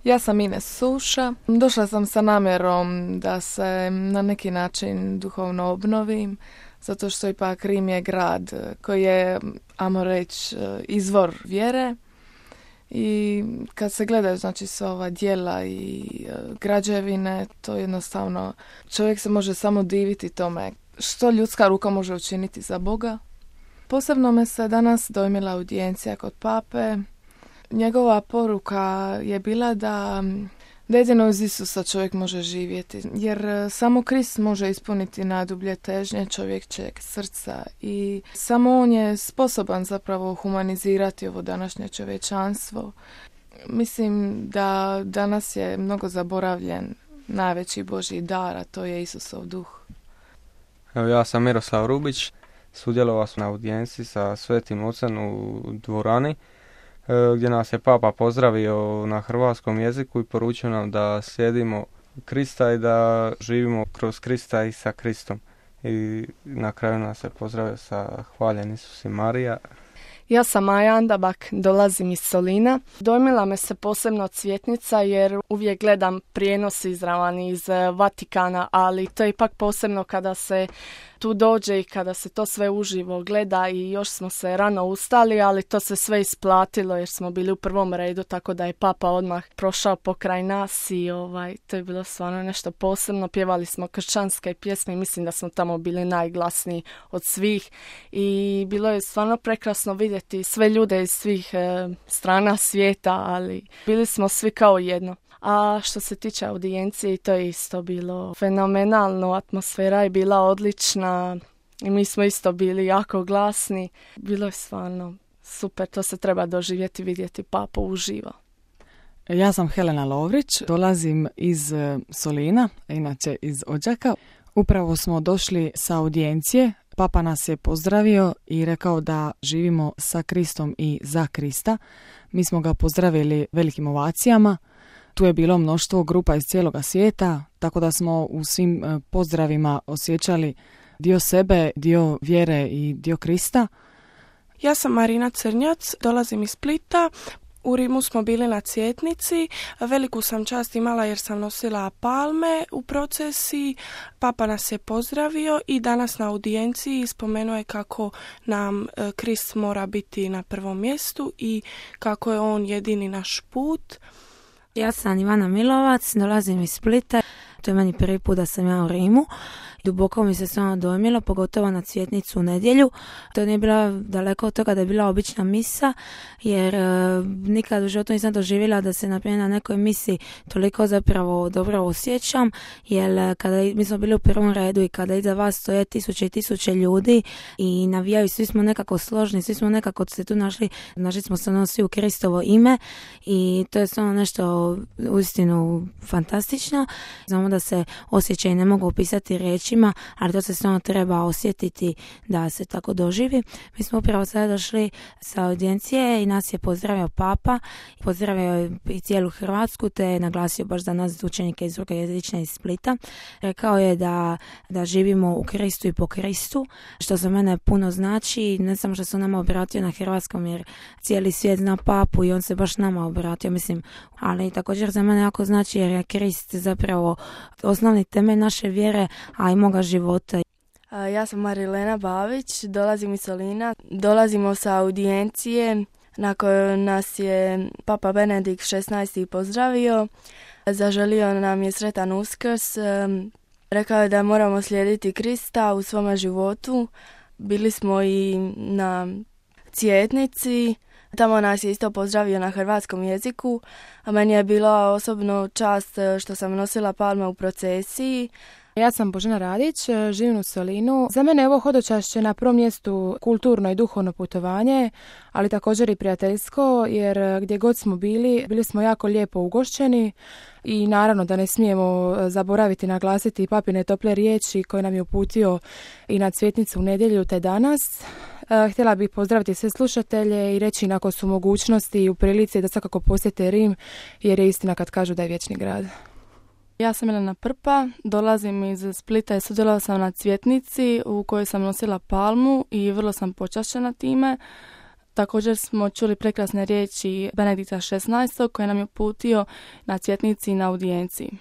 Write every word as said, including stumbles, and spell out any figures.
Ja sam Ines Suša. Došla sam sa namjerom da se na neki način duhovno obnovim, zato što ipak Rim je grad koji je, ajmo reći, izvor vjere. I kad se gledaju, znači, sva ova djela i građevine, to jednostavno, čovjek se može samo diviti tome što ljudska ruka može učiniti za Boga. Posebno me se danas dojmila audijencija kod pape. Njegova poruka je bila da, da jedino uz Isusa čovjek može živjeti, jer samo Krist može ispuniti najdublje težnje čovječeg srca i samo on je sposoban zapravo humanizirati ovo današnje čovječanstvo. Mislim da danas je mnogo zaboravljen najveći Božji dar, a to je Isusov duh. Evo, ja sam Miroslav Rubić, sudjelovao sam na audijenciji sa Svetim Ocem u dvorani, gdje nas je Papa pozdravio na hrvatskom jeziku i poručio nam da slijedimo Krista i da živimo kroz Krista i sa Kristom. I na kraju nas je pozdravio sa hvaljen Isus i Marija. Ja sam Maja Andabak, dolazim iz Solina. Dojmila me se posebno Cvjetnica jer uvijek gledam prijenos izravan iz Vatikana, ali to je ipak posebno kada se tu dođe i kada se to sve uživo gleda i još smo se rano ustali, ali to se sve isplatilo jer smo bili u prvom redu, tako da je Papa odmah prošao pokraj nas i ovaj, to je bilo stvarno nešto posebno. Pjevali smo kršćanske pjesme, mislim da smo tamo bili najglasniji od svih i bilo je stvarno prekrasno vidjeti sve ljude iz svih e, strana svijeta, ali bili smo svi kao jedno. A što se tiče audijencije, to je isto bilo fenomenalno, atmosfera je bila odlična i mi smo isto bili jako glasni. Bilo je stvarno super, to se treba doživjeti, vidjeti Papu uživo. Ja sam Helena Lovrić, dolazim iz Solina, inače iz Odžaka. Upravo smo došli sa audijencije. Papa nas je pozdravio i rekao da živimo sa Kristom i za Krista. Mi smo ga pozdravili velikim ovacijama. Tu je bilo mnoštvo grupa iz cijeloga svijeta, tako da smo u svim pozdravima osjećali dio sebe, dio vjere i dio Krista. Ja sam Marina Crnjac, dolazim iz Splita. U Rimu smo bili na Cvjetnici. Veliku sam čast imala jer sam nosila palme u procesiji. Papa nas je pozdravio i danas na audijenciji spomenuo je kako nam Krist mora biti na prvom mjestu i kako je on jedini naš put. Ja sam Ivana Milovac, dolazim iz Splita. To je meni prvi put da sam ja u Rimu. Duboko mi se stvarno dojmilo, pogotovo na Cvjetnicu u nedjelju. To nije bila daleko od toga da je bila obična misa, jer e, nikad u životu nisam doživjela da se naprimjer na nekoj misi toliko zapravo dobro osjećam, jer kada mi smo bili u prvom redu i kada iza vas stoje tisuće i tisuće ljudi i navijaju, svi smo nekako složni, svi smo nekako se tu našli, našli smo se nosi u Kristovo ime i to je stvarno nešto uistinu fantastično. Znamo da se osjećaji ne mogu opisati riječima, ali to se stvarno treba osjetiti da se tako doživi. Mi smo upravo sada došli sa audijencije i nas je pozdravio Papa, pozdravio je i cijelu Hrvatsku, te je naglasio baš za nas učenike iz drugojezične iz Splita. Rekao je da, da živimo u Kristu i po Kristu, što za mene puno znači, ne samo što se nama obratio na hrvatskom, jer cijeli svijet zna Papu i on se baš nama obratio, mislim, ali također za mene jako znači jer je Krist zapravo osnovni temelj naše vjere, a i moga života. Ja sam Marilena Bavić, dolazim iz Solina. Dolazimo sa audijencije na kojoj nas je Papa Benedikt šesnaesti pozdravio. Zaželio nam je sretan Uskrs. Rekao je da moramo slijediti Krista u svome životu. Bili smo i na Cvjetnici. Tamo nas je isto pozdravio na hrvatskom jeziku, a meni je bila osobno čast što sam nosila palme u procesiji. Ja sam Božena Radić, živim u Solinu. Za mene je ovo hodočašće na prvom mjestu kulturno i duhovno putovanje, ali također i prijateljsko, jer gdje god smo bili, bili smo jako lijepo ugošćeni i naravno da ne smijemo zaboraviti naglasiti papine tople riječi koje nam je uputio i na Cvjetnicu u nedjelju te danas. Htjela bih pozdraviti sve slušatelje i reći ako su mogućnosti i u prilici da svakako posjete Rim, jer je istina kad kažu da je vječni grad. Ja sam Elena Prpa, dolazim iz Splita i sudjelovala sam na Cvjetnici u kojoj sam nosila palmu i vrlo sam počašćena time. Također smo čuli prekrasne riječi Benedikta šesnaestog koje nam je uputio na cvjetnici i na audijenciji.